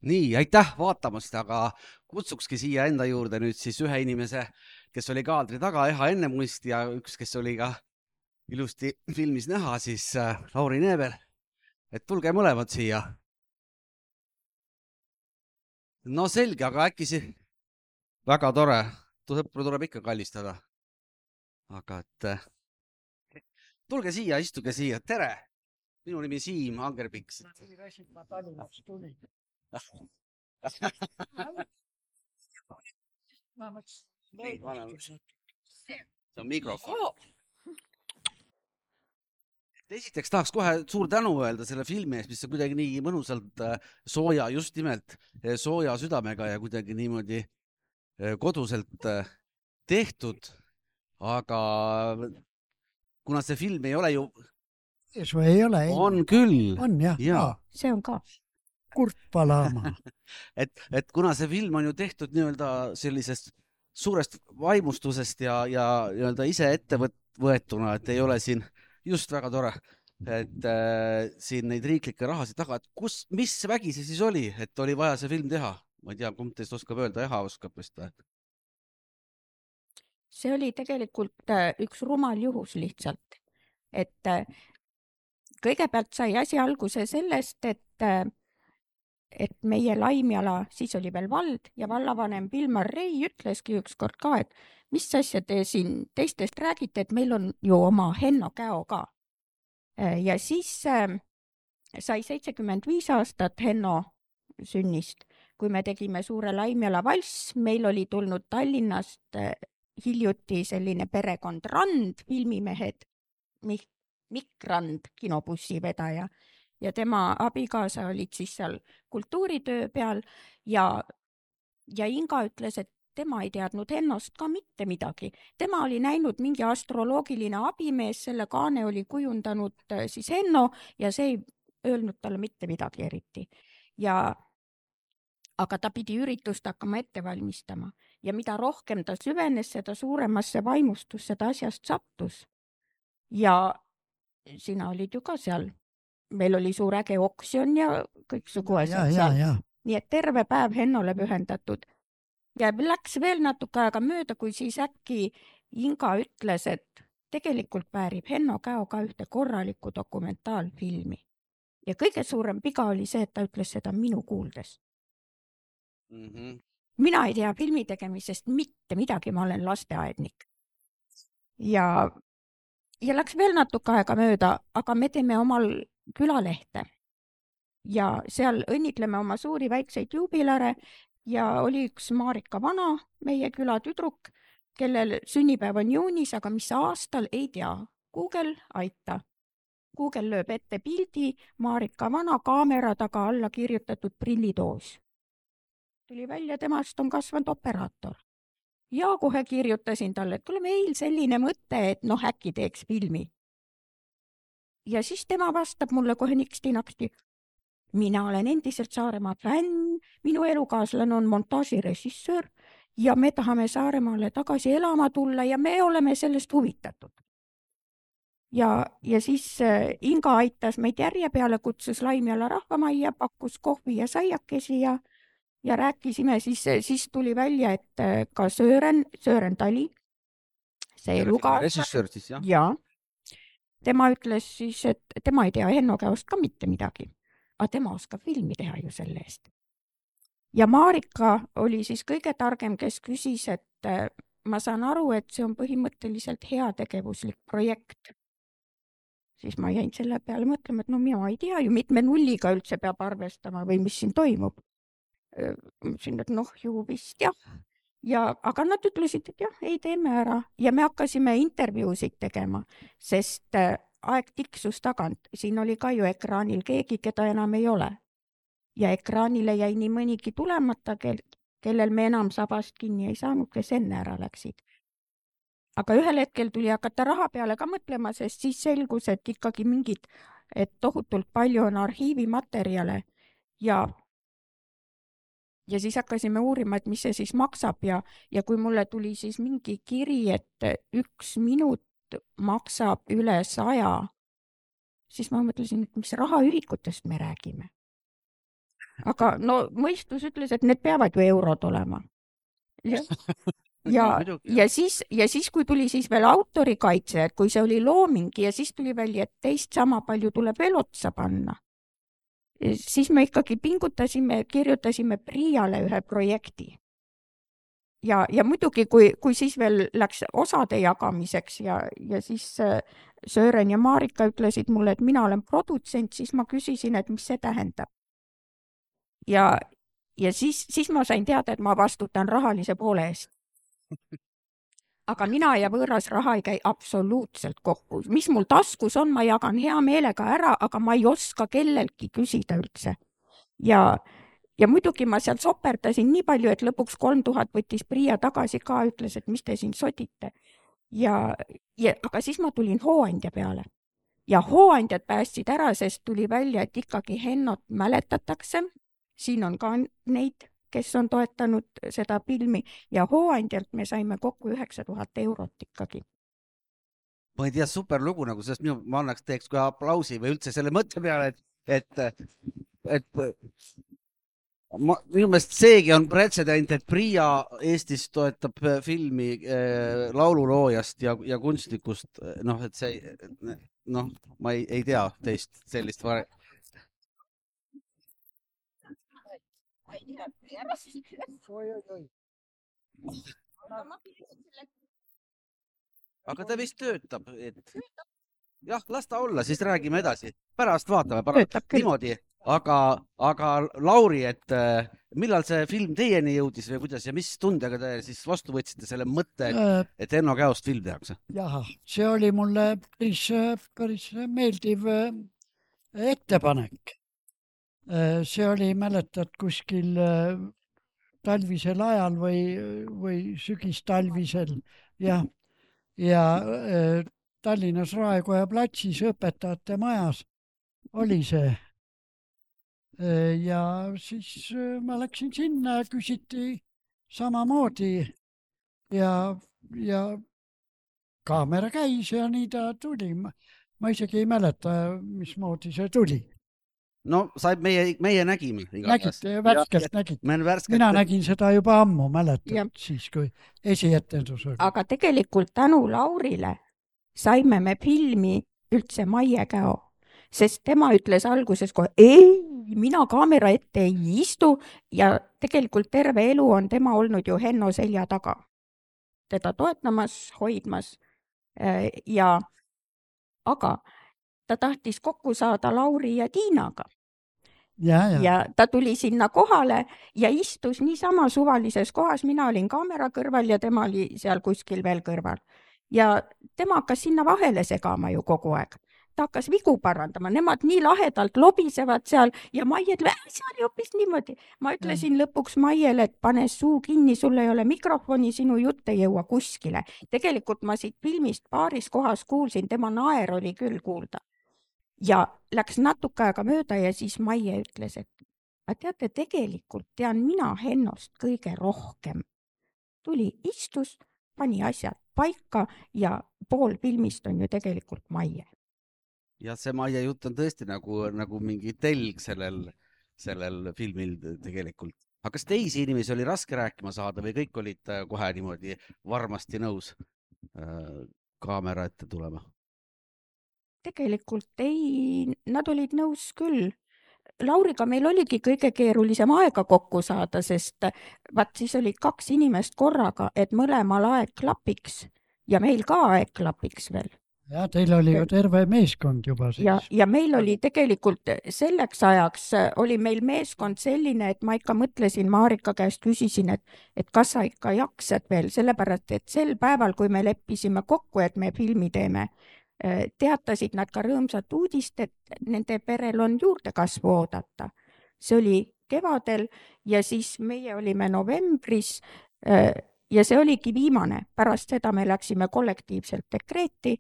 Nii, aitäh vaatamast, aga kutsukski siia enda juurde nüüd siis ühe inimese, kes oli kaadri taga Eha Ennemuist ja üks, kes oli ka ilusti filmis näha, siis Lauri Neeber. Et tulge mõlemad siia. No selge, aga äkki väga tore. Sõpru tuleb ikka kallistada. Aga et tulge siia, istuge siia. Tere! Minu nimi Siim Angerpiks. Ma Tallinnast tulin. See on mikrofon. Esiteks tahaks kohe suur tänu öelda selle filmi eest, mis on kuidagi nii mõnusalt sooja, just nimelt sooja südamega ja kuidagi niimoodi koduselt tehtud. Aga kuna see film ei ole ju... Või ei ole? On küll. On jah. Ja. See on ka. Kurtpalaama. et kuna see film on ju tehtud nii-öelda sellisest suurest vaimustusest ja nii-öelda ise ette võetuna, et ei ole siin just väga tore, et siin neid riiklikke rahasid taga, et mis vägi see siis oli, et oli vaja see film teha? Ma ei tea, kumb teist oskab öelda, Eha oskab vist või? See oli tegelikult üks rumal juhus lihtsalt. Et kõigepealt sai asi alguse sellest, et meie Laimjala, siis oli veel vald ja vallavanem Vilmar Rei ütleski ükskord ka, et mis asja te siin teistest räägite, et meil on ju oma Henno Käo ka. Ja siis sai 75 aastat Henno sünnist, kui me tegime suure Laimjala valss, meil oli tulnud Tallinnast hiljuti selline perekond Rand, filmimehed, Mikk Rand, kinobussi vedaja, ja tema abikaasa olid siis seal kultuuritöö peal ja Inga ütles, et tema ei teadnud Hennost ka mitte midagi. Tema oli näinud mingi astroloogiline abimees, selle kaane oli kujundanud siis Henno ja see ei öelnud talle mitte midagi eriti. Aga ta pidi üritust hakkama ette valmistama ja mida rohkem ta süvenes, seda suuremasse vaimustusse ta asjast sattus. Ja sina olid ju ka seal. Meil oli suur äge oksjon ja kõiksugu asjad seal. Nii et terve päev Hennole pühendatud. Ja läks veel natuke aega mööda, kui siis äkki Inga ütles, et tegelikult väärib Henno Käo ka ühte korralikku dokumentaalfilmi. Ja kõige suurem viga oli see, et ta ütles seda minu kuuldes. Mina ei tea filmi tegemisest mitte midagi, ma olen lasteaednik. Ja läks veel natuke aega mööda, aga me teeme omal külalehte. Ja seal õnnitleme oma suuri väikseid juubilare ja oli üks Marika Vana, meie küla tüdruk, kellel sünnipäev on juunis, aga mis aastal ei tea. Google aita. Google lööb ette pildi Marika Vana kaamera taga alla kirjutatud prillitoos. Tuli välja, temast on kasvanud operaator. Ja kohe kirjutasin talle, et kuule meil selline mõte, et äkki teeks filmi. Ja siis tema vastab mulle kohe niksti-naksti. Mina olen endiselt Saaremaa fänn, minu elukaaslane on montaažirežissöör ja me tahame Saaremaale tagasi elama tulla ja me oleme sellest huvitatud. Ja siis Inga aitas meid järje peale, kutsus Laimjala rahvamajja, pakkus kohvi ja saiakesi ja rääkisime, siis tuli välja, et ka Sören Tali, see režissöör siis, jah? Ja tema ütles siis, et tema ei tea Henno Käost ka mitte midagi, aga tema oskab filmi teha ju selle eest. Ja Marika oli siis kõige targem, kes küsis, et ma saan aru, et see on põhimõtteliselt heategevuslik projekt. Siis ma jäin selle peale mõtlema, et mina ei tea ju, mitme nulliga üldse peab arvestama või mis siin toimub. Mõtlesin, et ju vist jah. Aga nad ütlesid, et jah, ei teeme ära. Ja me hakkasime intervjuusid tegema, sest aeg tiksus tagant. Siin oli ka ju ekraanil keegi, keda enam ei ole. Ja ekraanile jäi nii mõnigi tulemata, kellel me enam sabast kinni ei saanud, kes enne ära läksid. Aga ühel hetkel tuli hakata raha peale ka mõtlema, sest siis selgus, et ikkagi et tohutult palju on arhiivimaterjale ja siis hakkasime uurima, et mis see siis maksab ja kui mulle tuli siis mingi kiri, et 1 minut maksab üle 100, siis ma mõtlesin, et mis rahaühikutest me räägime. aga no mõistus ütles, et need peavad ju eurod olema. Ja siis, kui tuli siis veel autorikaitse, et kui see oli looming ja siis tuli välja, et teist sama palju tuleb veel otsa panna, siis me ikkagi pingutasime, kirjutasime Priiale ühe projekti. Ja muidugi, kui siis veel läks osade jagamiseks ja siis Sören ja Marika ütlesid mulle, et mina olen produtsent, siis ma küsisin, et mis see tähendab. Ja siis ma sain teada, et ma vastutan rahalise poole eest. Aga mina ja võõras raha ei käi absoluutselt kokku. Mis mul taskus on, ma jagan hea meelega ära, aga ma ei oska kellelgi küsida üldse. Ja muidugi ma seal soperdasin nii palju, et lõpuks 3000 võttis Priia tagasi ka, ütles, et mis te siin sodite. Aga siis ma tulin hooandja peale. Ja hooandjad päästsid ära, sest tuli välja, et ikkagi Hennot mäletatakse. Siin on ka neid, kes on toetanud seda filmi ja hooandjalt me saime kokku 9000 eurot ikkagi. Ma ei tea, super lugu nagu sellest, ma teeks ka aplausi või üldse selle mõtte peale, et minu meelest seegi on pretsedent, et Priia Eestis toetab filmi laululoojast ja kunstnikust, et see, ma ei tea teist sellist Aga ta vist töötab, jah, las ta olla, siis räägime edasi. Pärast vaatame, niimoodi. Aga Lauri, et millal see film teieni jõudis või kuidas ja mis tundega te siis vastu võtsite selle mõtte, et Enno Käost film tehakse? Jah, see oli mulle päris meeldiv ettepanek. See oli, mäletad, kuskil talvisel ajal või sügistalvisel ja Tallinnas Raekoja platsis õpetajate majas oli see. Ja siis ma läksin sinna ja küsiti samamoodi ja kaamera käis ja nii ta tuli. Ma isegi ei mäleta, mismoodi see tuli. No meie nägime. Nägite, värskelt nägite. Mina nägin seda juba ammu, mäletad, siis kui esietendus oli. Aga tegelikult tänu Laurile saime me filmi üldse Maie Käo, sest tema ütles alguses kohe, mina kaamera ette ei istu ja tegelikult terve elu on tema olnud ju Henno selja taga. Teda toetamas, hoidmas aga ta tahtis kokku saada Lauri ja Tiinaga. Ja ta tuli sinna kohale ja istus niisama suvalises kohas, mina olin kaamera kõrval ja tema oli seal kuskil veel kõrval. Ja tema hakkas sinna vahele segama ju kogu aeg. Ta hakkas vigu parandama, nemad nii lahedalt lobisevad seal ja Maie ütle, see oli hoopis niimoodi. Ma ütlesin lõpuks Maiele, et pane suu kinni, sul ei ole mikrofoni, sinu jutt ei jõua kuskile. Tegelikult ma siit filmist paaris kohas kuulsin, tema naer oli küll kuulda. Ja läks natuke aega mööda ja siis Maie ütles, et teate, tegelikult tean mina Hennost kõige rohkem. Tuli, istus, pani asjad paika ja pool filmist on ju tegelikult Maie. Ja see Maie jutt on tõesti nagu mingi telg sellel filmil tegelikult. Aga kas teisi inimesi oli raske rääkima saada või kõik olid kohe niimoodi varmasti nõus kaamera ette tulema? Tegelikult ei, nad olid nõus küll. Lauriga meil oligi kõige keerulisem aega kokku saada, sest siis oli 2 inimest korraga, et mõlemal aeg klapiks ja meil ka aeg klapiks veel. Ja teil oli ju terve meeskond juba siis. Ja meil oli tegelikult selleks ajaks oli meil meeskond selline, et ma ikka mõtlesin, Marika käest küsisin, et kas sa ikka jaksad veel, sellepärast, et sel päeval, kui me leppisime kokku, et me filmi teeme, teatasid nad ka rõõmsat uudist, et nende perel on juurdekasvu oodata. See oli kevadel ja siis meie olime novembris ja see oligi viimane. Pärast seda me läksime kollektiivselt dekreeti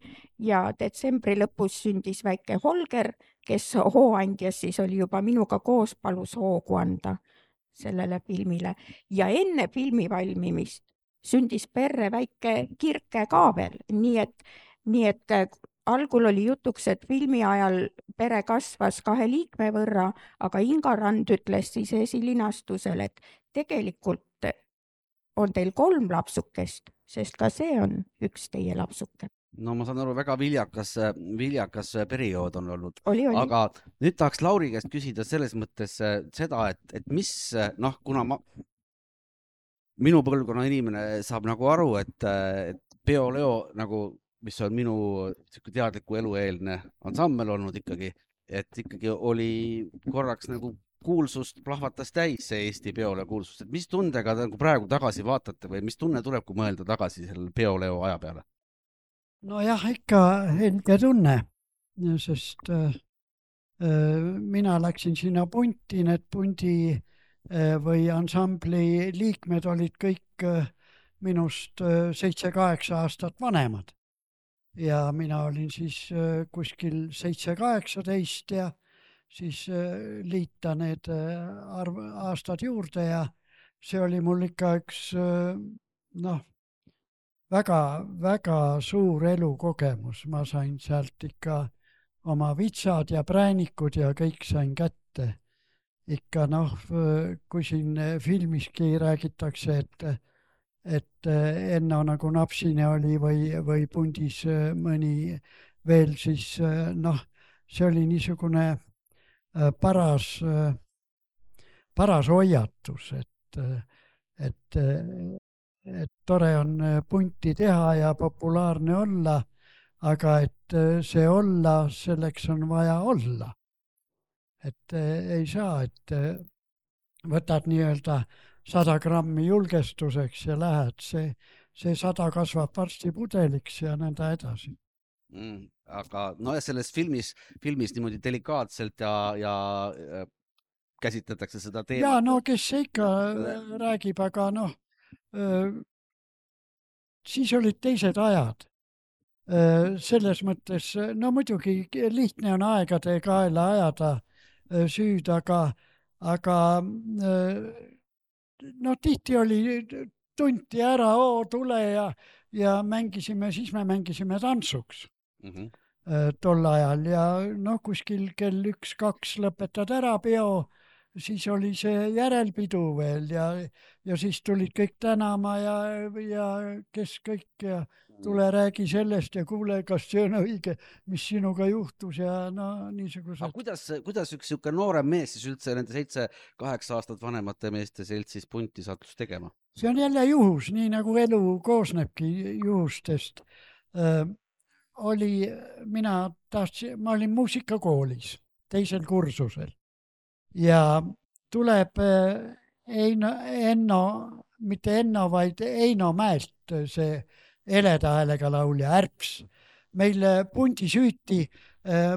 ja detsembri lõpus sündis väike Holger, kes hooandjas siis oli juba minuga koos, palus hoogu anda sellele filmile. Ja enne filmi valmimist sündis perre väike Kirke ka veel, nii et algul oli jutuks, et filmi ajal pere kasvas 2 liikme võrra, aga Inga Rand ütles siis esilinastusel, et tegelikult on teil 3 lapsukest, sest ka see on üks teie lapsuke. No ma saan aru, väga viljakas periood on olnud. Oli. Aga nüüd tahaks Lauri käest küsida selles mõttes seda, et mis, kuna minu põlvkonna inimene saab nagu aru, et Peo Leo, nagu, mis on minu teadliku elueelne ansambel olnud ikkagi, et ikkagi oli korraks nagu kuulsust plahvatas täis see Eesti Peo Leo kuulsust. Et mis tundega nagu praegu tagasi vaatate või mis tunne tuleb, kui mõelda tagasi selle Peo Leo aja peale? No jah, ikka helge tunne, sest mina läksin sinna punti, need pundi või ansambli liikmed olid kõik minust 7-8 aastat vanemad. Ja mina olin siis kuskil 7-18 ja siis liita need aastad juurde ja see oli mul ikka üks väga suur elukogemus. Ma sain sealt ikka oma vitsad ja präänikud ja kõik sain kätte. Ikka kui siin filmiski räägitakse, et Enno nagu napsine oli või pundis mõni veel, siis see oli niisugune paras hoiatus, et tore on punti teha ja populaarne olla, aga et see olla, selleks on vaja olla. Et ei saa, et võtad nii-öelda 100 grammi julgestuseks ja lähed, see 100 kasvab varsti pudeliks ja nõnda edasi. Aga selles filmis niimoodi delikaatselt ja käsitletakse seda teemat. Ja kes see ikka räägib, aga siis olid teised ajad. Selles mõttes, muidugi lihtne on aegade kaela ajada süüd, aga tihti oli, tunti ära, tule ja mängisime, siis me mängisime tantsuks tol ajal ja kuskil kell 1-2 lõpetad ära peo, siis oli see järelpidu veel ja siis tulid kõik tänama ja kes kõik ja tule räägi sellest ja kuule, kas see on õige, mis sinuga juhtus ja niisugused. Aga kuidas üks noorem mees siis üldse nende 7-8 aastat vanemate meeste seltsis punti sattus tegema? See on jälle juhus, nii nagu elu koosnebki juhustest. Ma olin muusikakoolis 2. kursusel ja tuleb mitte Enno, vaid Eino Mäelt, see heleda häälega laulja, Ärps. Meil pundi süüti,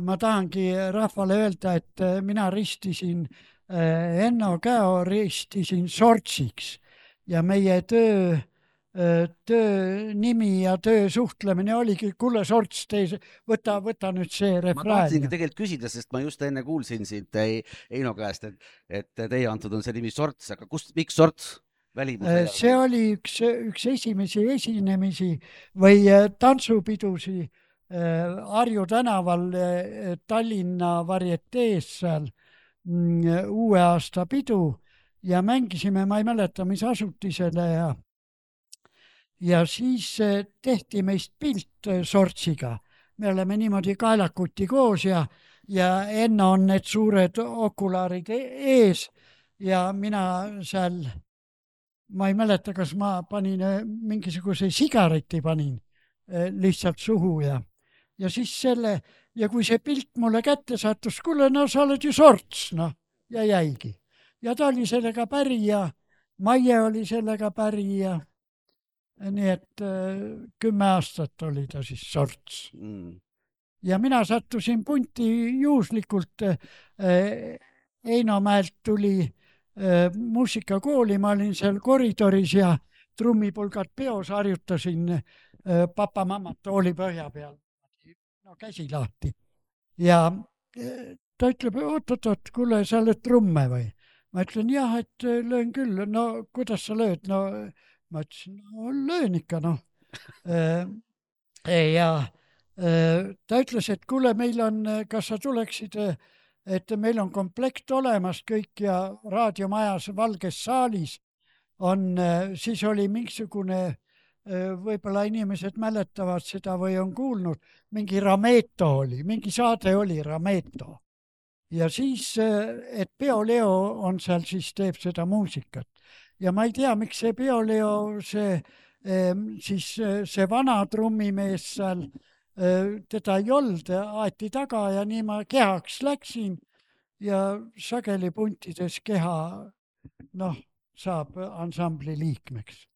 ma tahangi rahvale öelda, et mina ristisin Enno Käo ristisin sortsiks ja meie töö nimi ja töö suhtlemine oligi, kuule sorts, võta nüüd see refrään. Ma tahtsingi tegelikult küsida, sest ma just enne kuulsin siit Eino käest, et teie antud on see nimi sorts, aga miks sorts? See oli üks esimesi esinemisi või tantsupidusi Harju tänaval Tallinna varietees seal uue aasta pidu ja mängisime, ma ei mäleta, mis asutisele ja siis tehti meist pilt sortsiga. Me oleme niimoodi kaelakuti koos ja Enno on need suured okulaarid ees ja mina seal, ma ei mäleta, kas ma panin mingisuguse sigareti panin lihtsalt suhu ja siis ja kui see pilt mulle kätte sattus, kuule, sa oled ju sorts, ja jäigi. Ja ta oli sellega päri ja Maie oli sellega päri ja nii et 10 aastat oli ta siis sorts. Ja mina sattusin punti juhuslikult. Eino Mäelt tuli muusikakooli, ma olin seal koridoris ja trummipulgad peos harjutasin papa-mammat tooli põhja peal. Käsi lahti. Ja ta ütleb, oot, kuule, sa oled trumme või? Ma ütlen, jah, et löön küll. Kuidas sa lööd? Ma ütlesin, löön ikka, Ja ta ütles, et kuule, meil on, kas sa tuleksid, et meil on komplekt olemas kõik ja raadiomajas Valges saalis on, siis oli mingisugune, võib-olla inimesed mäletavad seda või on kuulnud, mingi Rameto oli, mingi saade oli Rameto. Ja siis, et Peo Leo on seal, siis teeb seda muusikat. Ja ma ei tea, miks see Peo Leo, siis see vana trummimees seal, teda ei olnud, aeti taga ja nii ma kehaks läksin ja sageli puntides keha, saab ansambli liikmeks.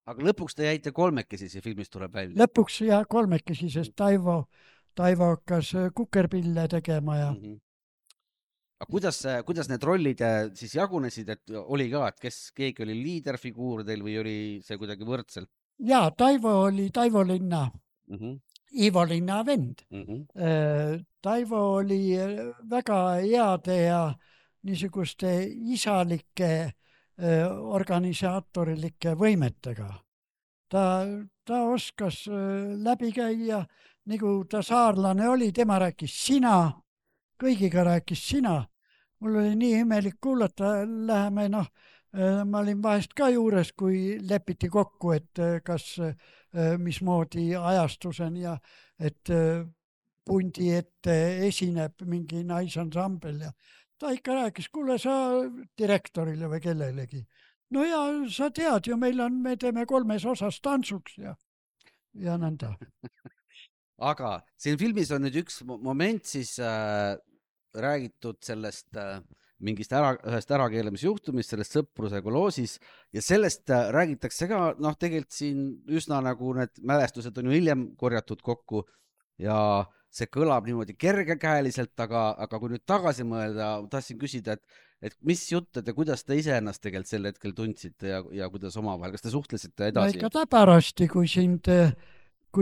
Aga lõpuks te jäite kolmekesi, see filmis tuleb välja? Lõpuks ja kolmekesi, sest Taivo hakkas kukerpille tegema ja Aga kuidas need rollid siis jagunesid, et oli ka, et keegi oli liiderfiguur teil või oli see kuidagi võrdselt? Jaa, Taivo oli Taivo Linna, Ivo Linna vend. Taivo oli väga heade ja niisuguste isalike organisaatorlike võimetega. Ta oskas läbi käia, nagu ta saarlane oli, tema rääkis sina, kõigiga rääkis sina. Mul oli nii imelik kuulata, läheme, ma olin vahest ka juures, kui lepiti kokku, et kas mismoodi ajastuseni ja et pundi ette esineb mingi naisansambel ja ta ikka rääkis, kuule sa direktorile või kellelegi. No ja sa tead ju, me teeme 3 osas tantsuks ja nõnda. Aga siin filmis on nüüd üks moment siis räägitud sellest mingist ühest ärakeelemisjuhtumist, sellest Sõpruse koloosis ja sellest räägitakse ka, tegelikult siin üsna nagu need mälestused on ju hiljem korjatud kokku ja see kõlab niimoodi kergekäeliselt, aga kui nüüd tagasi mõelda, tahtsin küsida, et mis jutt ja kuidas te ise ennast tegelikult sel hetkel tundsite ja kuidas omavahel, kas te suhtlesite edasi? Ikka täpärasti, kui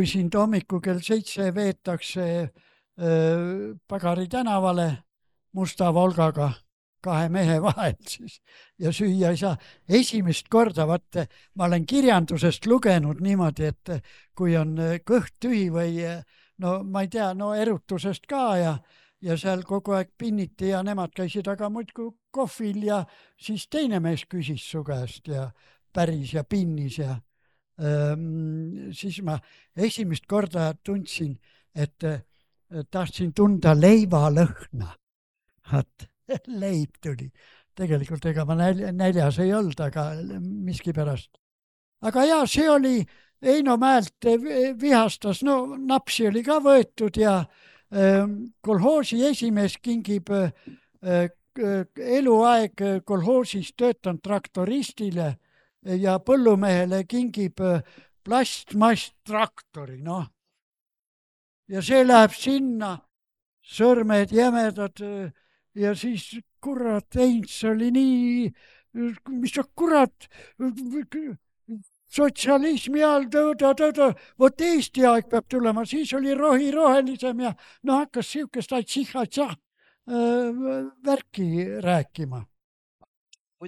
sind hommiku kell 7 veetakse Pagari tänavale musta Volgaga 2 mehe vahel siis ja süüa ei saa. Esimest korda, vaata, ma olen kirjandusest lugenud niimoodi, et kui on kõht tühi või ma ei tea, erutusest ka ja seal kogu aeg pinniti ja nemad käisid aga muidku kohvil ja siis teine mees küsis su käest ja päris ja pinnis ja siis ma esimest korda tundsin, et tahtsin tunda leivalõhna. Leib tuli. Tegelikult ega ma näljas ei olnud, aga miskipärast. Aga jaa, see oli Eino Mäelt vihastas, napsi oli ka võetud ja kolhoosi esimees kingib eluaeg kolhoosis töötanud traktoristile ja põllumehele kingib plastmasstraktori, Ja see läheb sinna, sõrmed jämedad ja siis kurat, Heinz oli nii, mis sa kurat, sotsialismi all, vot Eesti aeg peab tulema, siis oli rohelisem ja hakkas siukest atšihha värki rääkima.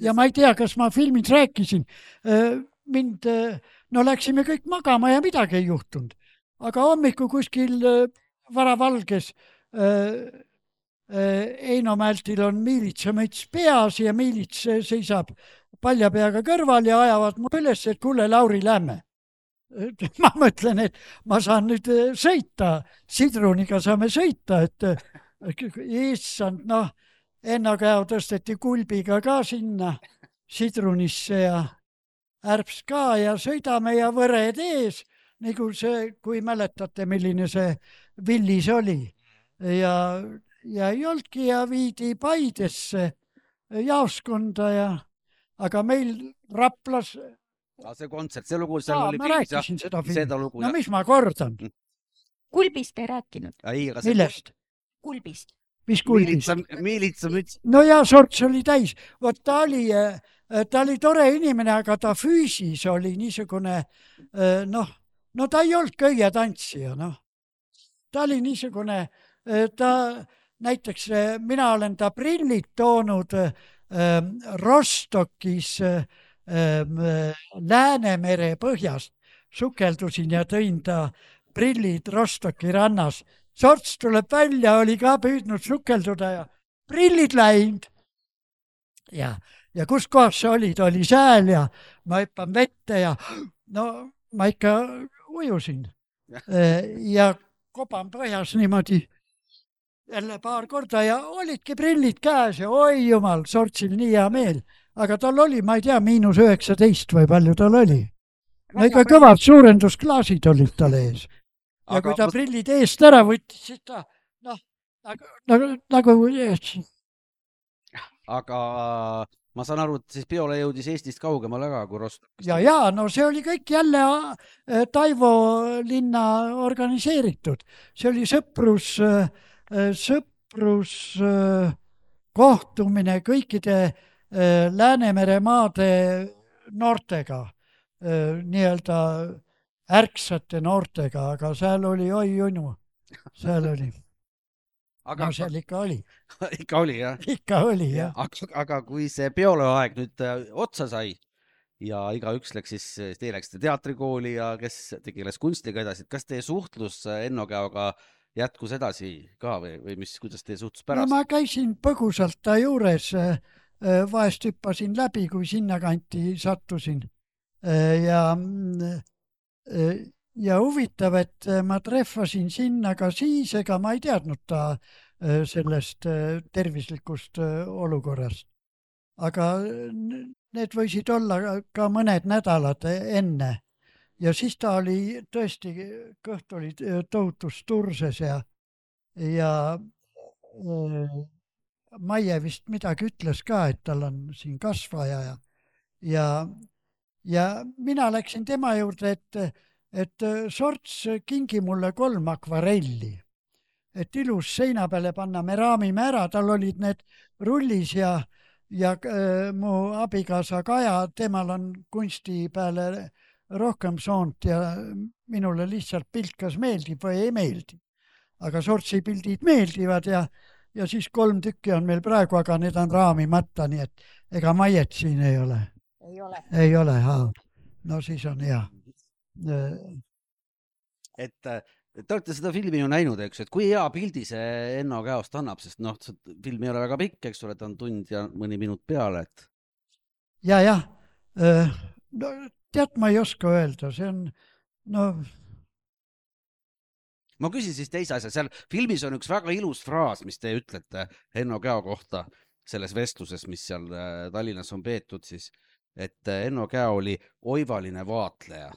Ja ma ei tea, kas ma filmis rääkisin, läksime kõik magama ja midagi ei juhtunud. Aga hommiku kuskil varavalges Eino Mältil on miilitsamõts peas ja miilits seisab palja peaga kõrval ja ajavad mu üles, et kuule, Lauri, lähme. Ma mõtlen, et ma saan nüüd sõita, Sidruniga saame sõita, et issand, ennakäo tõsteti kulbiga ka sinna Sidrunisse ja Ärps ka ja sõidame ja võred ees, nagu see, kui mäletate, milline see Villis oli. Ja ei olnudki ja viidi Paidesse jaoskonda aga meil Raplas... See kontsert, see lugu, ma rääkisin seda filmi. Mis ma kordan? Kulbist ei rääkinud. Millest? Kulbist. Mis kulbist? Miilitsamüts. No ja sorts oli täis. Vot ta oli tore inimene, aga ta füüsis oli niisugune, ta ei olnud köie tantsija, Ta oli niisugune, näiteks mina olen ta prillid toonud Rostokis Läänemere põhjast, sukeldusin ja tõin ta prillid Rostoki rannas. Sorts tuleb välja, oli ka püüdnud sukelduda ja prillid läinud. Ja kus kohas sa olid, oli sääl ja ma hüppan vette ja no ma ikka ujusin. Ja koban põhjas niimoodi jälle paar korda ja olidki prillid käes ja oi jumal, Sortsil nii hea meel. Aga tal oli, ma ei tea, -19 või palju tal oli. No ikka kõvad suurendusklaasid olid tal ees. Ja kui ta prillid eest ära võttis, siis ta nagu Aga ma saan aru, et siis Peole jõudis Eestist kaugemale ka kui Rostock. Ja, no see oli kõik jälle Taivo linna organiseeritud. See oli sõprus kohtumine kõikide Läänemere maade noortega, nii-öelda ärksate noortega, aga seal oli oi junu, seal oli. No seal ikka oli. Ikka oli, jah? Ikka oli, jah. Aga kui see Peole aeg nüüd otsa sai ja igaüks läks siis, teie läksite teatrikooli ja kes tegeles kunstiga edasi, kas teie suhtlus Enno Käoga jätkus edasi ka või mis, kuidas teie suhtlus pärast? No ma käisin põgusalt ta juures, vahest hüppasin läbi, kui sinna kanti sattusin. Ja huvitav, et ma trehvasin sinna ka siis, ega ma ei teadnud ta sellest tervislikust olukorrast. Aga need võisid olla ka mõned nädalad enne. Ja siis ta oli tõesti, kõht oli tohutus turses ja Maie vist midagi ütles ka, et tal on siin kasvaja ja mina läksin tema juurde, et Sorts kingi mulle 3 akvarelli, et ilus seina peale panna, me raamime ära, tal olid need rullis ja mu abikaasa Kaja, temal on kunsti peale rohkem soont ja minule lihtsalt pilt kas meeldib või ei meeldi. Aga Sortsi pildid meeldivad ja siis 3 tükki on meil praegu, aga need on raamimata, nii et ega Maiet siin ei ole. Ei ole, no siis on hea. Et te olete seda filmi ju näinud, eks, et kui hea pildi see Enno Käost annab, sest noh, film ei ole väga pikk, eks ole, ta on tund ja mõni minut peale, et... Ja. No, tead, ma ei oska öelda, see on, no... Ma küsin siis teise asja, seal filmis on üks väga ilus fraas, mis te ütlete Enno Käo kohta selles vestluses, mis seal Tallinnas on peetud siis, et Enno Käo oli oivaline vaatleja.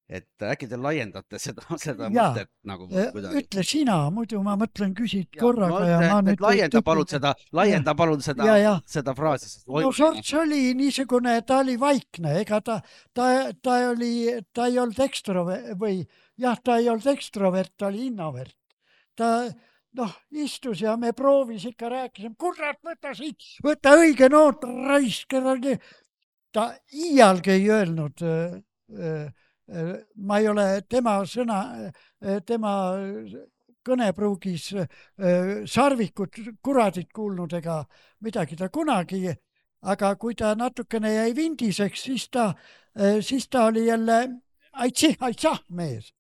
Et äkki te laiendate seda mõtet nagu kuidagi? Ütle sina, muidu ma mõtlen küsid korraga ja ma nüüd... Laienda palun seda fraasi. No Sorts oli niisugune, ta oli vaikne, ega ta ei olnud ekstrovert või jah, ta ei olnud ekstrovert, ta oli introvert. Ta istus ja me proovis ikka rääkisime, kurat, võta õige noot, raisk. Ta iialgi ei öelnud, ma ei ole tema kõnepruugis sarvikut, kuradit kuulnud ega midagi ta kunagi, aga kui ta natukene jäi vindiseks, siis ta oli jälle aitsah mees.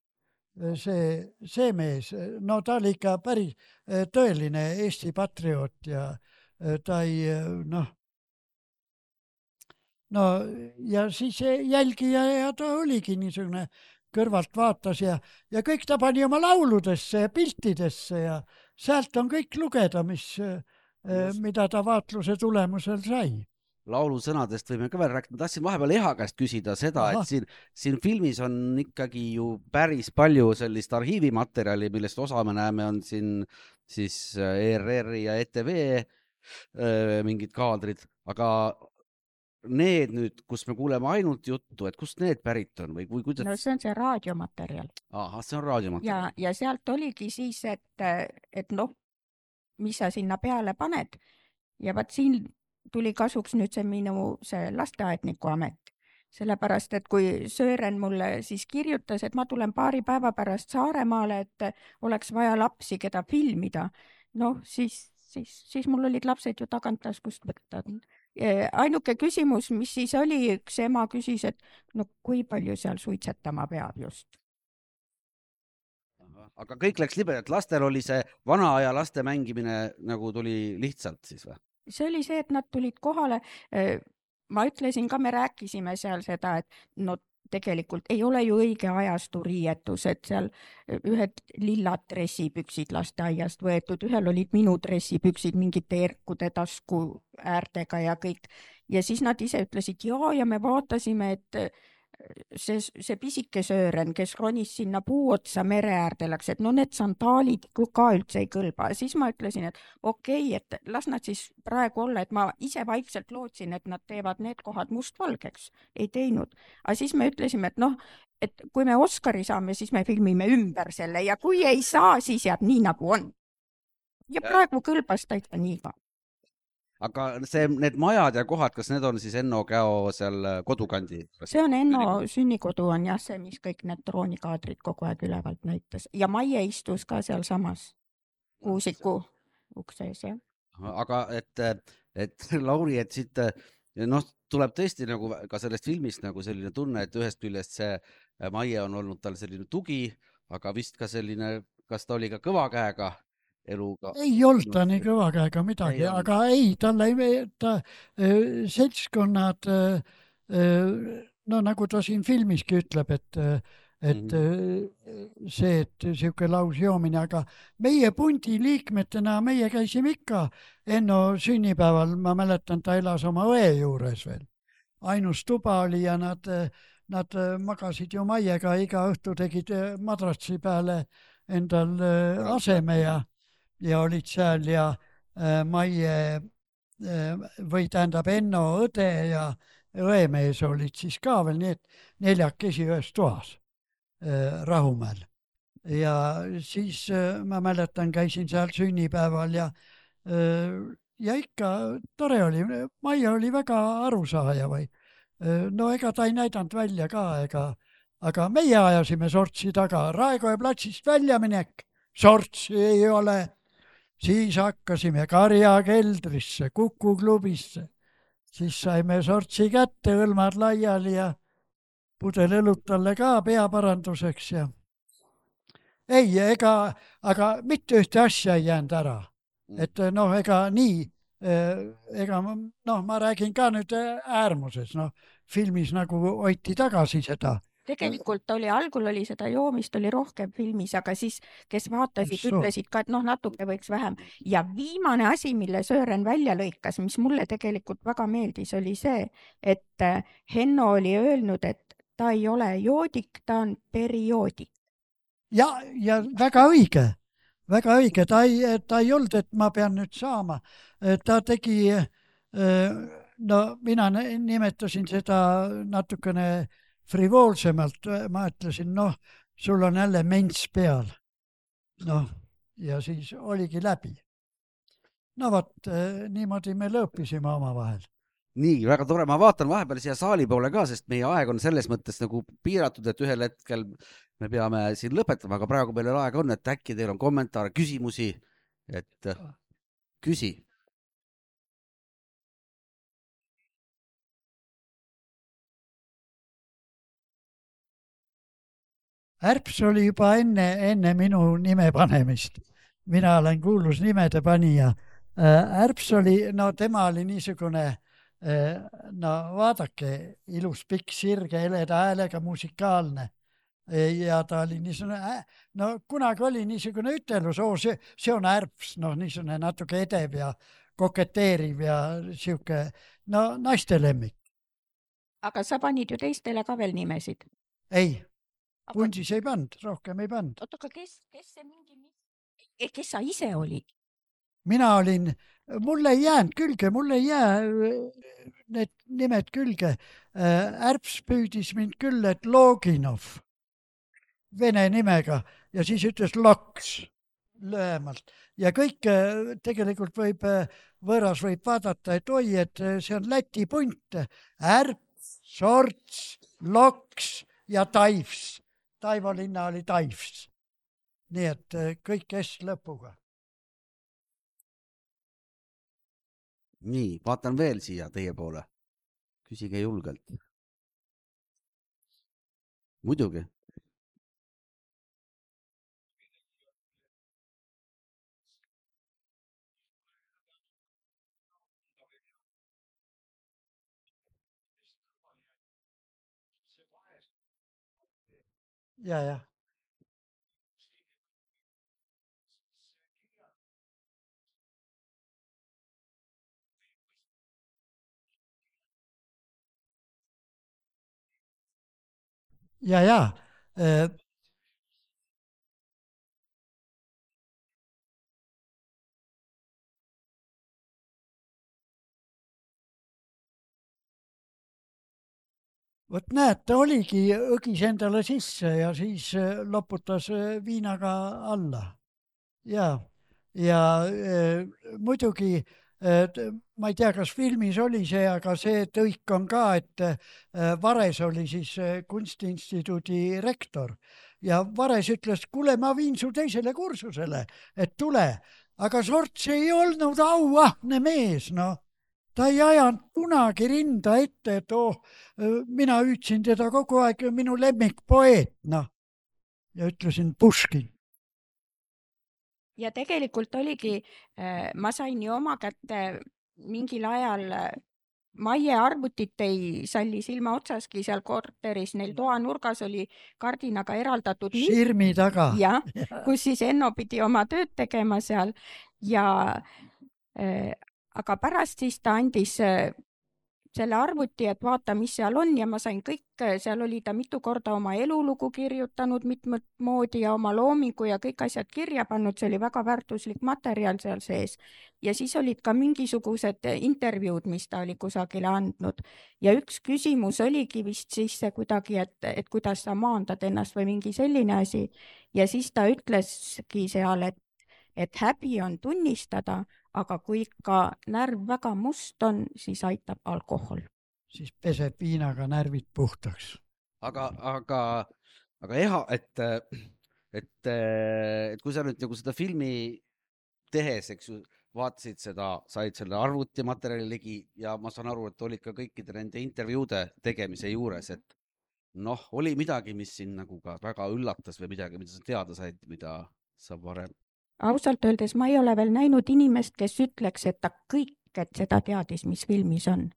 See mees, no ta oli ikka päris tõeline Eesti patrioot ja ta ei, no ja siis jälgija ja ta oligi niisugune kõrvalt vaatas ja kõik ta pani oma lauludesse ja piltidesse ja sealt on kõik lugeda, mida ta vaatluse tulemusel sai. Laulusõnadest võime ka veel rääkida. Ma tahtsin vahepeal Eha käest küsida seda, et siin filmis on ikkagi ju päris palju sellist arhiivimaterjali, millest osa me näeme on siin siis ERR ja ETV mingid kaadrid, aga need nüüd, kus me kuuleme ainult juttu, et kust need pärit on või kuidas? No see on see raadiomaterjal. See on raadiomaterjal. Ja sealt oligi siis, et mis sa sinna peale paned ja vaat siin tuli kasuks nüüd see lasteaedniku amet. Sellepärast, et kui Sören mulle siis kirjutas, et ma tulen paari päeva pärast Saaremaale, et oleks vaja lapsi, keda filmida, siis mul olid lapsed ju tagantaskust võtta. Ainuke küsimus, mis siis oli, üks ema küsis, et kui palju seal suitsetama peab just. aga kõik läks libedalt, lastel oli see vana aja laste mängimine nagu tuli lihtsalt siis või? See oli see, et nad tulid kohale. Ma ütlesin ka, me rääkisime seal seda, et no tegelikult ei ole ju õige ajastu riietus, et seal ühed lillad dressipüksid lasteaiast võetud, ühel olid minu dressipüksid mingite erkude tasku äärtega ja kõik. Ja siis nad ise ütlesid ja me vaatasime, et see pisike Söören, kes ronis sinna puu otsa mere äärde läks, et no need sandaalid ka üldse ei kõlba. Siis ma ütlesin, et okei, et las nad siis praegu olla, et ma ise vaikselt lootsin, et nad teevad need kohad mustvalgeks. Ei teinud. Aga siis me ütlesime, et noh, et kui me Oscari saame, siis me filmime ümber selle ja kui ei saa, siis jääb nii nagu on. Ja praegu kõlbas täitsa nii ka. Aga need majad ja kohad, kas need on siis Enno Käo seal kodukandi? See on Enno sünnikodu on jah see, mis kõik need droonikaadrid kogu aeg ülevalt näitas. Ja Maie istus ka seal samas Kuusiku uksees, jah. Aga et Lauri, et siit tuleb tõesti nagu ka sellest filmist nagu selline tunne, et ühest küljest see Maie on olnud tal selline tugi, aga vist ka selline, kas ta oli ka kõva käega eluga? Ei olnud ta nii kõva käega midagi, aga ei, talle seltskonnad, no nagu ta siin filmiski ütleb, et see, et siuke lausjoomine, aga meie pundi liikmetena, meie käisime ikka Enno sünnipäeval, ma mäletan, ta elas oma õe juures veel. Ainus tuba oli ja nad magasid ju Maiega, iga õhtu tegid madratsi peale endal aseme ja olid seal ja Maie või tähendab Enno õde ja õemees olid siis ka veel, nii et 4 ühes toas Rahumäel. Ja siis ma mäletan, käisin seal sünnipäeval ja ikka tore oli. Maie oli väga arusaaja või. No ega ta ei näidanud välja ka, aga meie ajasime sortsi taga. Raekoja platsist väljaminek, sortsi ei ole. Siis hakkasime karjakeldrisse, Kuku klubisse. Siis saime sortsi kätte, õlmad laiali ja pudel õlut talle ka peaparanduseks. Ja ei, aga mitte ühte asja ei jäänud ära. Et ega nii, ma räägin ka nüüd äärmuses, filmis nagu hoiti tagasi seda. Tegelikult algul oli seda joomist oli rohkem filmis, aga siis, kes vaatasid, ütlesid ka, et natuke võiks vähem. Ja viimane asi, mille Söören välja lõikas, mis mulle tegelikult väga meeldis, oli see, et Henno oli öelnud, et ta ei ole joodik, ta on perioodik. Ja väga õige. Väga õige. Ta ei olnud, et ma pean nüüd saama. Ta tegi, mina nimetasin seda natukene frivoolsemalt, ma ütlesin, sul on jälle ments peal. Ja siis oligi läbi. Vot, niimoodi me lõõpisime oma vahel. Nii, väga tore. Ma vaatan vahepeal siia saali poole ka, sest meie aeg on selles mõttes nagu piiratud, et ühel hetkel me peame siin lõpetama, aga praegu meil aega on, et äkki teil on kommentaare, küsimusi, et küsi. Ärps oli juba enne minu nime panemist. Mina olen kuulus nimede panija. Ärps oli, tema oli niisugune, vaadake, ilus pikk sirge, heleda häälega musikaalne. Ja ta oli niisugune, kunagi oli niisugune ütelus, see on Ärps, niisugune natuke edev ja koketeeriv ja siuke, naiste lemmik. Aga sa panid ju teistele ka veel nimesid? Ei. Pundis ei pannud, rohkem ei pannud. Oot, aga kes sa ise olid? Mina olin, mulle ei jäänud külge, mulle ei jää need nimed külge. Ärps püüdis mind küll, et Loginov, vene nimega, ja siis ütles Loks lühemalt. Ja kõik tegelikult võõras võib vaadata, et oi, et see on Läti punt. Ärps, Sorts, Loks ja Taivs. Taivo linna oli Taivs. Nii et kõik S lõpuga. Nii, vaatan veel siia teie poole. Küsige julgelt. Muidugi. ja. Ja. Vot näed, ta oligi, õgis endale sisse ja siis loputas viinaga alla. Ja muidugi, ma ei tea, kas filmis oli see, aga see tõik on ka, et Vares oli siis kunstiinstituudi rektor ja Vares ütles, kuule, ma viin su teisele kursusele, et tule, aga Sorts ei olnud auahne mees, noh. Ta ei ajanud kunagi rinda ette, et mina hüüdsin teda kogu aeg minu lemmikpoeet, noh. Ja ütlesin Puškin. Ja tegelikult oligi, ma sain ju oma kätte mingil ajal Maie arvutit ei salli silma otsaski seal korteris, neil toanurgas oli kardinaga eraldatud Sirmi taga. Ja, kus siis Enno pidi oma tööd tegema seal ja aga pärast siis ta andis selle arvuti, et vaata, mis seal on ja ma sain kõik, seal oli ta mitu korda oma elulugu kirjutanud mitmed moodi ja oma loomingu ja kõik asjad kirja pannud, see oli väga väärtuslik materjal seal sees. Ja siis olid ka mingisugused intervjuud, mis ta oli kusagile andnud. Ja üks küsimus oligi vist siis see kuidagi, et kuidas sa maandad ennast või mingi selline asi. Ja siis ta ütleski seal, et häbi on tunnistada, aga kui ikka närv väga must on, siis aitab alkohol. Siis peseb viinaga närvid puhtaks. Aga eha, et kui sa nüüd nagu seda filmi tehes, eks ju, vaatasid seda, said selle arvutimaterjali ligi ja ma saan aru, et olid ka kõikide nende intervjuude tegemise juures, et noh, oli midagi, mis siin nagu ka väga üllatas või midagi, mida sa teada said, mida sa varem Ausalt öeldes ma ei ole veel näinud inimest, kes ütleks, et ta kõik, et seda teadis, mis filmis on.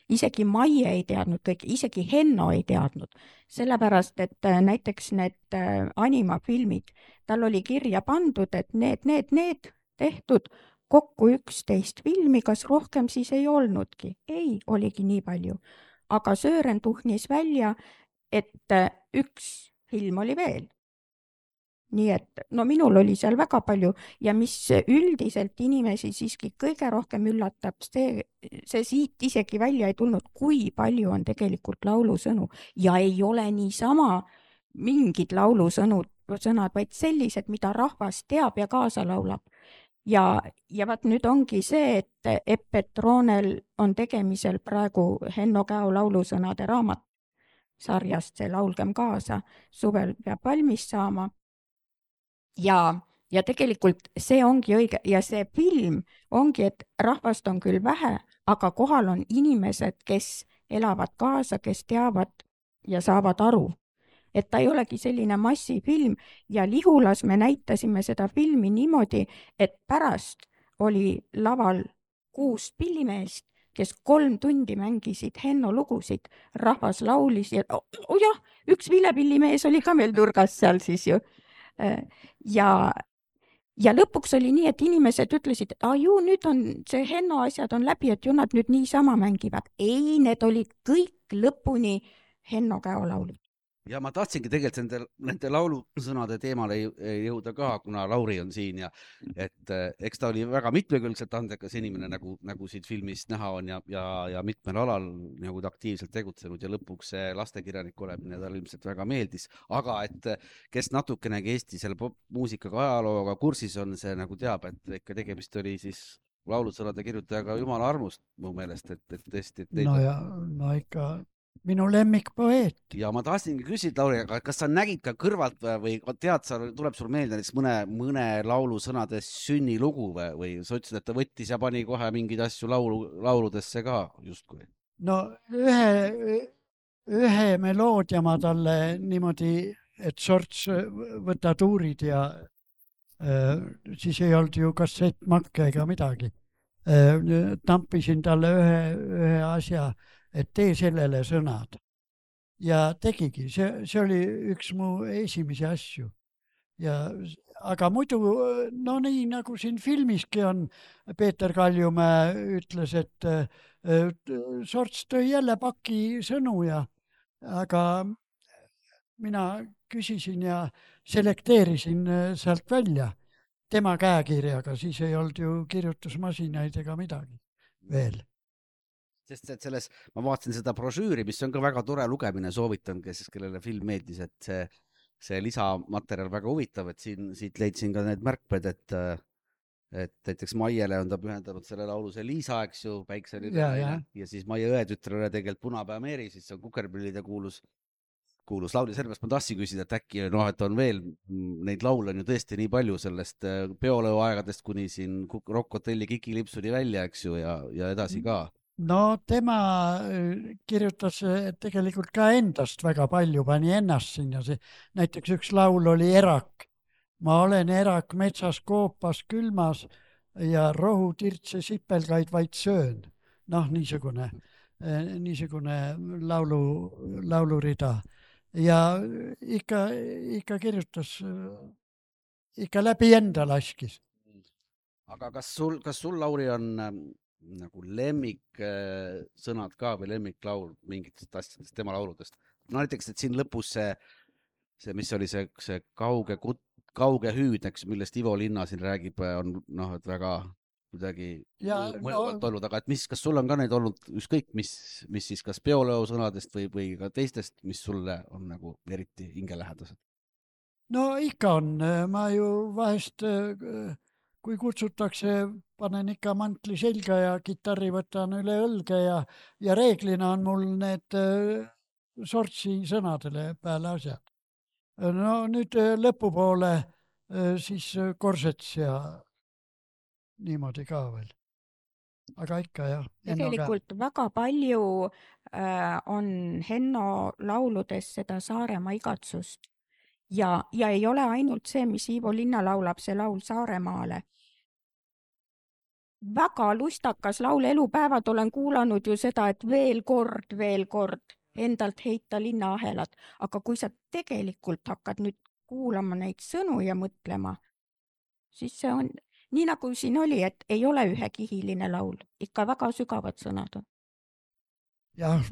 Isegi Maie ei teadnud kõik, isegi Henno ei teadnud. Sellepärast, et näiteks need animafilmid, tal oli kirja pandud, et need tehtud kokku 11 filmi, kas rohkem siis ei olnudki. Ei, oligi nii palju. Aga Sören tuhnis välja, et üks film oli veel. Nii et no minul oli seal väga palju ja mis üldiselt inimesi siiski kõige rohkem üllatab, see siit isegi välja ei tulnud, kui palju on tegelikult laulusõnu ja ei ole niisama mingid laulusõnad, vaid sellised, mida rahvas teab ja kaasa laulab. Ja vaat nüüd ongi see, et Epp Petroonel on tegemisel praegu Henno Käo laulusõnade raamat sarjast, see Laulgem kaasa, suvel peab valmis saama. Ja tegelikult see ongi õige ja see film ongi, et rahvast on küll vähe, aga kohal on inimesed, kes elavad kaasa, kes teavad ja saavad aru. Et ta ei olegi selline massifilm ja Lihulas me näitasime seda filmi niimoodi, et pärast oli laval 6 pillimeest, kes 3 tundi mängisid Henno lugusid, rahvas laulis ja jah, üks vilepillimees oli ka meil nurgas seal siis ju. Ja lõpuks oli nii, et inimesed ütlesid, et ju nüüd on see Henno asjad on läbi, et ju nad nüüd niisama mängivad. Ei, need olid kõik lõpuni Henno Käo laulud. Ja ma tahtsingi tegelikult nende laulusõnade teemale jõuda ka, kuna Lauri on siin ja et eks ta oli väga mitmekülgselt andekas inimene, nagu siit filmist näha on ja mitmel alal nagu ta aktiivselt tegutsenud ja lõpuks see lastekirjanik olemine tal ilmselt väga meeldis, aga et kes natukenegi Eesti selle popmuusikaga ajalooga kursis on, see nagu teab, et ikka tegemist oli siis laulusõnade kirjutajaga jumala armust mu meelest, et tõesti. No ikka minu lemmikpoeet. Ja ma tahtsingi küsida, Lauri, aga kas sa nägid ka kõrvalt või tead, tuleb sul meelde näiteks mõne laulusõnade sünnilugu või sa ütlesid, et ta võttis ja pani kohe mingeid asju lauludesse ka justkui? No ühe meloodia ma talle niimoodi, et Sorts võta tuurid ja siis ei olnud ju kassettmakke ega midagi. Tampisin talle ühe asja, et tee sellele sõnad. ja tegigi, see oli üks mu esimesi asju. Ja, aga muidu, no nii nagu siin filmiski on, Peeter Kaljumäe ütles, et Sorts tõi jälle paki sõnu aga mina küsisin ja selekteerisin sealt välja tema käekirjaga, siis ei olnud ju kirjutusmasinaid ega midagi veel. Sest et ma vaatasin seda brošüüri, mis on ka väga tore lugemine, soovitan, kellele film meeldis, et see lisamaterjal väga huvitav, et siit leidsin ka need märkmed, et näiteks Maiele on ta pühendanud selle laulu see Liisa, eks ju, Päikselile ja siis Maie õetütrele tegelikult Punapea Meeri, siis see on Kukerpillide kuulus laul ja sellepärast ma tahtsin küsida, et äkki et on veel, neid laule on ju tõesti nii palju sellest peoleo aegadest kuni siin Rock Hotelli Kiki Lipsuni välja, eks ju, ja edasi ka. No tema kirjutas tegelikult ka endast väga palju, pani ennast sinna. Näiteks üks laul oli Erak. Ma olen erak metsas koopas külmas ja rohutirtse sipelgaid vaid söön. Noh, niisugune laulurida. Ja ikka kirjutas, ikka läbi enda laskis. Aga kas sul, Lauri, on nagu lemmik sõnad ka või lemmiklaul mingitest asjadest tema lauludest? No näiteks, et siin lõpus see mis oli see kauge hüüd, eks, millest Ivo Linna siin räägib, on et väga kuidagi mõjuvalt olnud, aga et kas sul on ka neid olnud ükskõik, mis siis kas peoleo sõnadest või ka teistest, mis sulle on nagu eriti hingelähedased? No ikka on, ma ju vahest kui kutsutakse, panen ikka mantli selga ja kitarri võtan üle õlge ja reeglina on mul need Sortsi sõnadele peale asjad. No nüüd lõpupoole siis Korsets ja niimoodi ka veel. Aga ikka jah. Tegelikult väga palju on Henno lauludes seda Saaremaa igatsust. Ja ei ole ainult see, mis Ivo Linna laulab, see laul Saaremaale. Väga lustakas laul, elupäevad olen kuulanud ju seda, et veel kord endalt heita linnaahelad. Aga kui sa tegelikult hakkad nüüd kuulama neid sõnu ja mõtlema, siis see on nii nagu siin oli, et ei ole ühekihiline laul. Ikka väga sügavad sõnad on. Jah,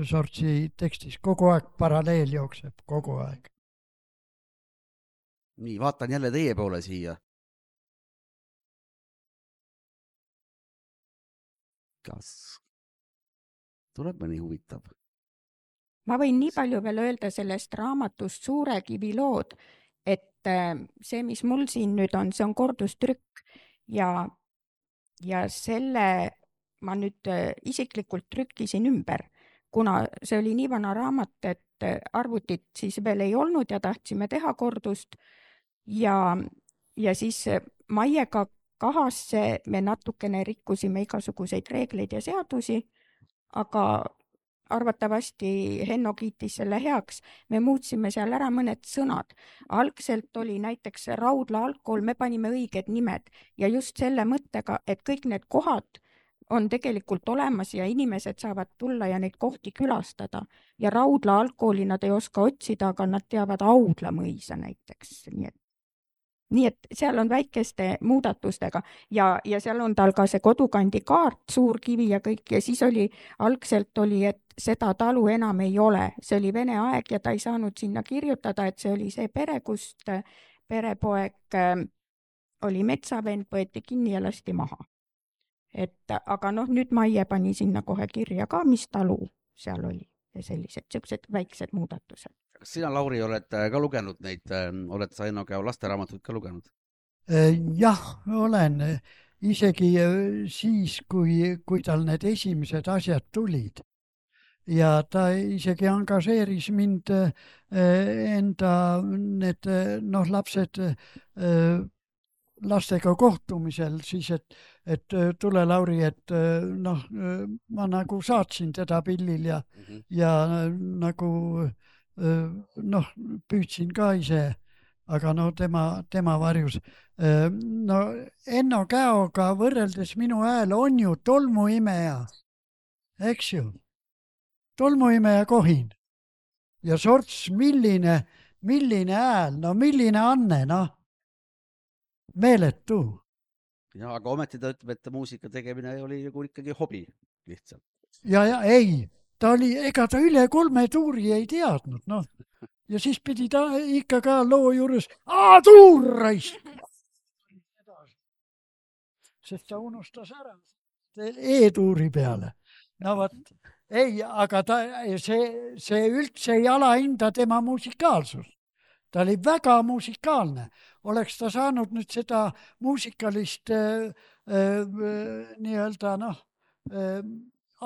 Sortsi tekstis kogu aeg paralleel jookseb, kogu aeg. Nii, vaatan jälle teie poole siia. Kas tuleb mõni huvitav? Ma võin nii palju veel öelda sellest raamatust Suure kivi lood, et see, mis mul siin nüüd on, see on kordustrükk ja selle ma nüüd isiklikult trükkisin ümber, kuna see oli nii vana raamat, et arvutit siis veel ei olnud ja tahtsime teha kordust ja siis Maiega kahasse me natukene rikkusime igasuguseid reegleid ja seadusi, aga arvatavasti Henno kiitis selle heaks. Me muutsime seal ära mõned sõnad. Algselt oli näiteks Raudla algkool, me panime õiged nimed ja just selle mõttega, et kõik need kohad on tegelikult olemas ja inimesed saavad tulla ja neid kohti külastada. Ja Raudla algkooli nad ei oska otsida, aga nad teavad Audla mõisa näiteks. Nii et seal on väikeste muudatustega ja seal on tal ka see kodukandi kaart, suur kivi ja kõik ja siis algselt oli, et seda talu enam ei ole. See oli Vene aeg ja ta ei saanud sinna kirjutada, et see oli see pere, kust perepoeg oli metsavend, võeti kinni ja lasti maha. Aga nüüd Maie pani sinna kohe kirja ka, mis talu seal oli ja sellised väiksed muudatused. Kas sina, Lauri, oled ka lugenud neid, oled sa Henno Käo lasteraamatut ka lugenud? Jah, olen. Isegi siis, kui tal need esimesed asjad tulid ja ta isegi angažeeris mind enda need lapsed lastega kohtumisel, siis et tule, Lauri, et ma nagu saatsin teda pillil ja nagu püüdsin ka ise, aga tema varjus. Henno Käoga võrreldes minu hääl on ju tolmuimeja, eks ju, tolmuimeja Kohin. ja sorts, milline hääl, no milline anne, noh, meeletu. Ja, aga ometi ta ütleb, et muusika tegemine oli nagu ikkagi hobi lihtsalt. Ja ei, ta oli, ega ta üle 3 tuuri ei teadnud, noh. Ja siis pidi ta ikka ka loo juures, tuur raisk! Sest ta unustas ära E-tuuri peale. No võt, ei, aga see üldse ei alahinda tema musikaalsust. Ta oli väga musikaalne. Oleks ta saanud nüüd seda muusikalist nii-öelda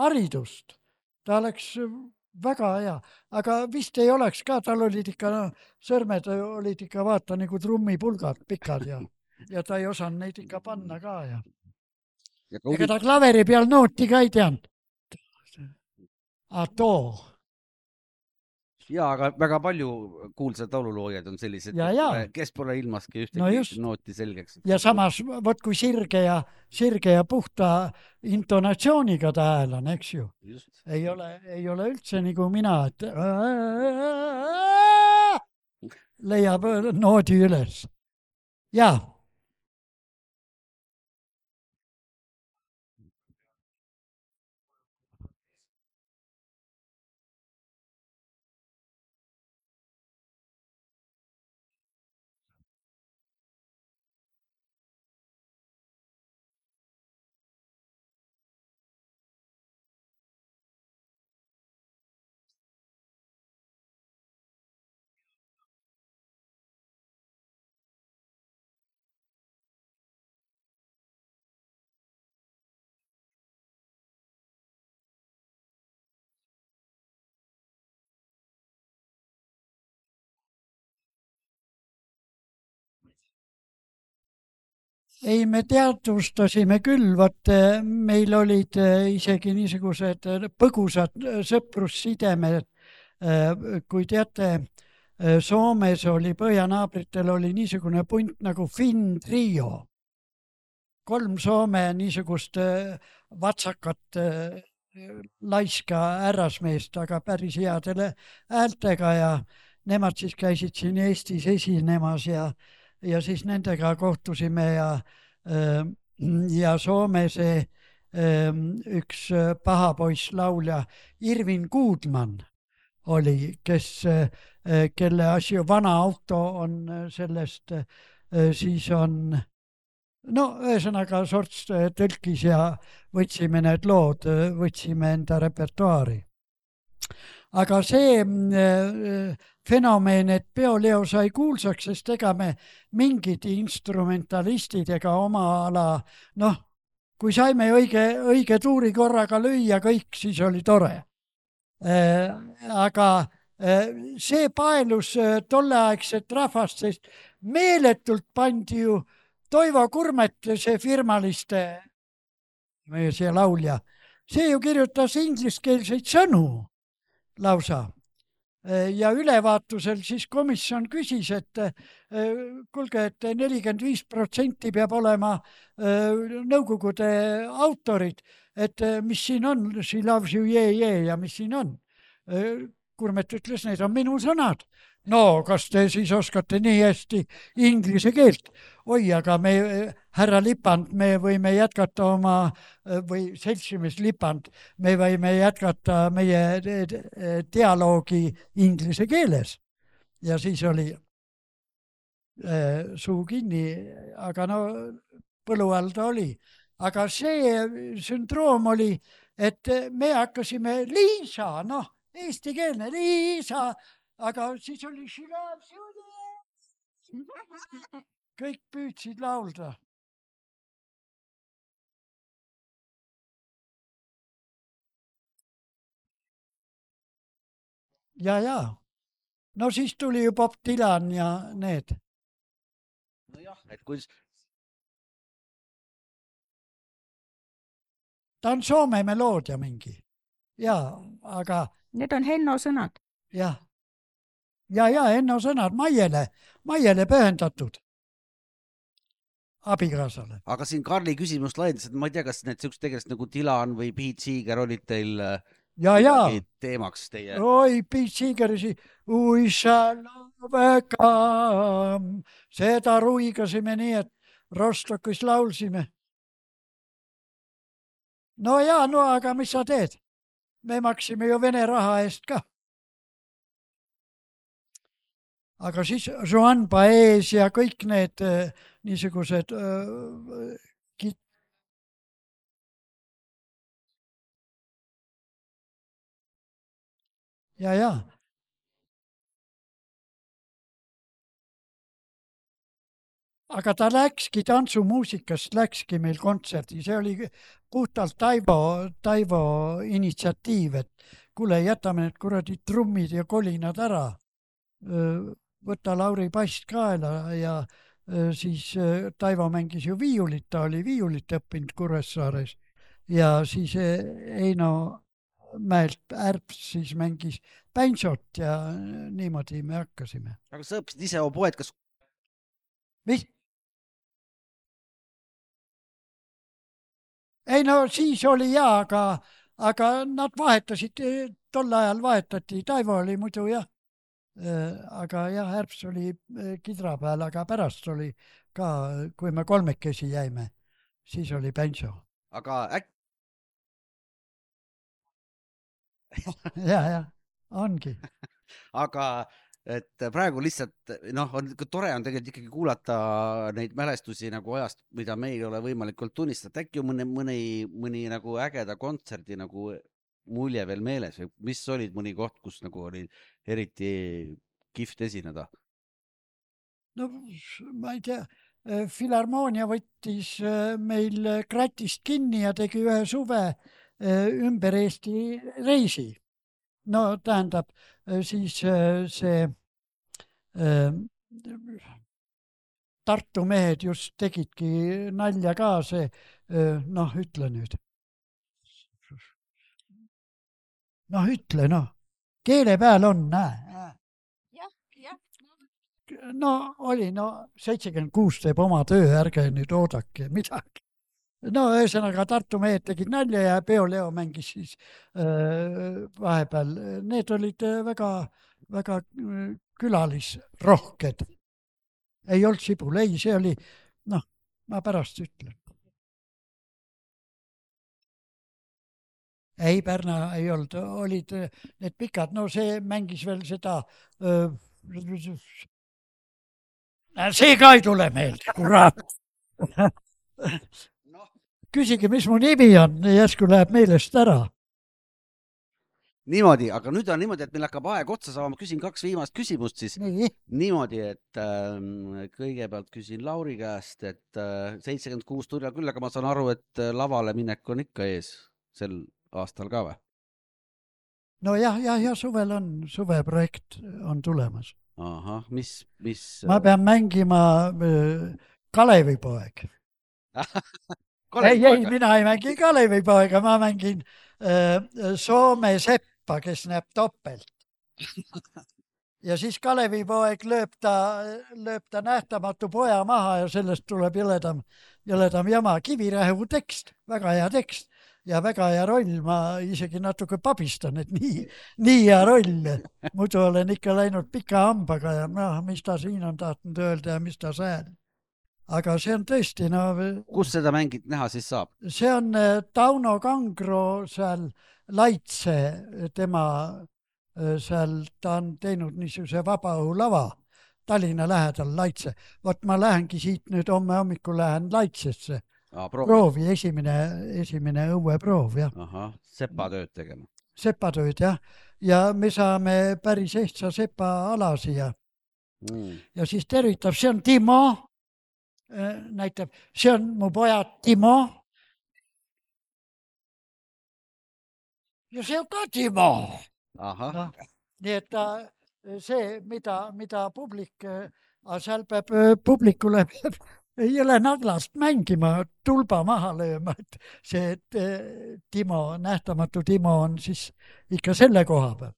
haridust. Ta oleks väga hea, aga vist ei oleks ka, tal olid ikka, sõrmed olid ikka vaata nagu trummipulgad pikad ja ta ei osanud neid ikka panna ka ja ega ta klaveri peal nooti ka ei teanud. Too. Ja, aga väga palju kuulsad laululoojaid on sellised, kes pole ilmaski ühtegi nooti selgeks. Ja samas, võt kui sirge ja puhta intonatsiooniga ta hääl on, eks ju. Just. Ei ole üldse nagu mina, et leiab noodi üles. Ja. Ei, me teadvustasime küll, meil olid isegi niisugused põgusad sõprussidemed, kui teate, Soomes oli, põhjanaabritel oli niisugune punt nagu Finn Trio. 3 Soome niisugust vatsakat laiska härrasmeest, aga päris headele häältega ja nemad siis käisid siin Eestis esinemas ja siis nendega kohtusime ja Soome see üks pahapoiss laulja Irvin Goodman oli, kelle asju vana auto on sellest, siis on, ühesõnaga sorts tõlkis ja võtsime need lood, võtsime enda repertuaari. Aga see fenomen, et Peoleo sai kuulsaks, sest ega me mingid instrumentalistid ega oma ala, kui saime õige tuuri korraga lüüa kõik, siis oli tore. Aga see paelus tolleaegset rahvast, sest meeletult pandi ju Toivo Kurmet, see firmaliste, see laulja, see ju kirjutas ingliskeelseid sõnu lausa. Ja ülevaatusel siis komisjon küsis, et kuulge, et 45% peab olema nõukogude autorid, et mis siin on, she loves you, ja mis siin on. Kurmet ütles, need on minu sõnad. No, kas te siis oskate nii hästi inglise keelt? Oi, aga härra Lipand, me võime jätkata või seltsimees Lipand, me võime jätkata meie dialoogi inglise keeles. Ja siis oli suu kinni, aga põlu all ta oli. Aga see sündroom oli, et me hakkasime Liisa, eestikeelne Liisa, aga siis oli kõik püüdsid laulda. Ja. No siis tuli ju Bob Dylan ja need. Nojah, et kui... Ta on Soome meloodia mingi. Ja, aga... Need on Henno sõnad. Ja, Henno sõnad Maiele pühendatud abikaasale. Aga siin Karli küsimust laiendas, et ma ei tea, kas need sellised tegelased nagu Dylan või Pete Seeger olid teil ja teemaks teie? oi, Pete Seegersi We shall overcome. Seda ruigasime nii, et Rostokis laulsime. No ja, no aga mis sa teed? Me maksime ju Vene raha eest ka. Aga siis Joan Baez ja kõik need niisugused ja. Aga ta läkski tantsumuusikast, läkski meil kontserdi, see oli puhtalt Taivo initsiatiiv, et kuule, jätame need kuradi trummid ja kolinad ära. Võta Lauri Past kaela ja siis Taivo mängis ju viiulit, ta oli viiulit õppinud Kuressaares ja siis Eino Mäelt Ärps siis mängis bänsot ja niimoodi me hakkasime. Aga sa õppisid ise oboed, kas... Mis? Ei no siis oli aga nad vahetasid, tol ajal vahetati, Taivo oli muidu jah, aga jah, Ärps oli kidra peal, aga pärast oli ka, kui me kolmekesi jäime, siis oli bänso. Aga ja, ongi. Aga et praegu lihtsalt, on tore on tegelikult ikkagi kuulata neid mälestusi nagu ajast, mida meil ei ole võimalikult tunnistada. Äkki on mõni nagu ägeda kontserdi nagu mulje veel meeles või mis olid mõni koht, kus nagu oli eriti kihvt esineda? No ma ei tea, Filharmoonia võttis meil kratist kinni ja tegi ühe suve ümber Eesti reisi. No tähendab, siis see Tartu mehed just tegidki nalja ka see, ütle nüüd. Ütle, keele peal on, näe. No oli, 76 teeb oma töö, ärge nüüd oodake midagi. Ühesõnaga Tartu mehed tegid nalja ja Peo Leo mängis siis vahepeal. Need olid väga külalisrohked. Ei olnud Sibul, ei, see oli, ma pärast ütlen. Ei, Pärna ei olnud, olid need pikad, see mängis veel seda, see ka ei tule meelde, kurat. Küsige, mis mu nimi on, järsku läheb meelest ära. Niimoodi, aga nüüd on niimoodi, et meil hakkab aeg otsa saama. Ma küsin 2 viimast küsimust siis. Niimoodi, et kõigepealt küsin Lauri käest, et 76 tuli küll, aga ma saan aru, et lavale minek on ikka ees sel aastal ka või? No jah, suvel on, suveprojekt on tulemas. Ahah, mis? Ma pean mängima Kalevipoeg. Ei, mina ei mängi Kalevipoega, ma mängin Soome seppa, kes näeb topelt. Ja siis Kalevipoeg lööb ta nähtamatu poja maha ja sellest tuleb jõledam jama. Kivirähu tekst, väga hea tekst ja väga hea roll. Ma isegi natuke pabistan, et nii hea roll. Muidu olen ikka läinud pika hambaga ja mis ta siin on tahtnud öelda ja mis ta sääl. Aga see on tõesti, Kus seda mängid näha siis saab? See on Tauno Kangro seal Laitse, tema seal, ta on teinud niisuguse vabaõhulava Tallinna lähedal Laitse. Vot ma lähengi siit nüüd homme hommikul lähen Laitsesse. Proovi, esimene õueproov, jah. Ahah, sepatööd tegema. Sepatööd, jah. Ja me saame päris ehtsa sepa ala siia. Ja siis tervitab, see on Timo. Näitab, see on mu poja Timo. Ja see on ka Timo. Nii et see, mida publik, seal peab publikule jõle naglast mängima, tulba maha lööma, et see Timo, nähtamatu Timo on siis ikka selle koha peal.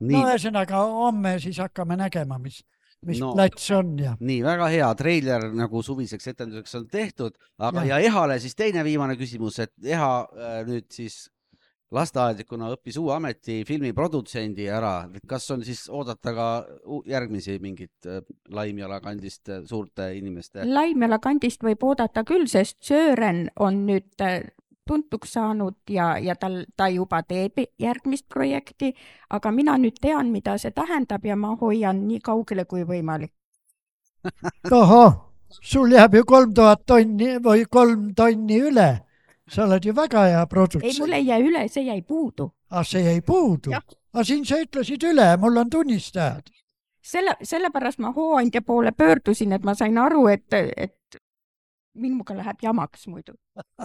Ühesõnaga homme siis hakkame nägema, mis plats on. Ja. Nii, väga hea treiler nagu suviseks etenduseks on tehtud, aga ja Ehale siis teine viimane küsimus, et Eha nüüd siis lasteaednikuna õppis uue ameti filmiprodutsendi ära. Kas on siis oodata ka järgmisi mingit Laimjala kandist suurte inimeste? Laimjala kandist võib oodata küll, sest Sören on nüüd tuntuks saanud ja ta juba teeb järgmist projekti, aga mina nüüd tean, mida see tähendab ja ma hoian nii kaugele kui võimalik. Ohoh, sul jääb ju 3000 tonni või 3 tonni üle. Sa oled ju väga hea produtsent. Ei, mul ei jää üle, see jäi puudu. See jäi puudu? Aga siin sa ütlesid üle, mul on tunnistajad. Sellepärast ma hooandja poole pöördusin, et ma sain aru, et minuga läheb jamaks muidu.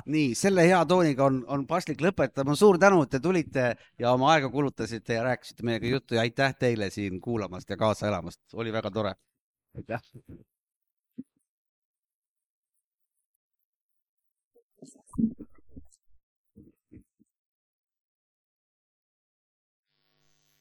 Nii, selle hea tooniga on paslik lõpetama. Suur tänu, et te tulite ja oma aega kulutasite ja rääkisite meiega juttu ja aitäh teile siin kuulamast ja kaasa elamast. Oli väga tore. Aitäh.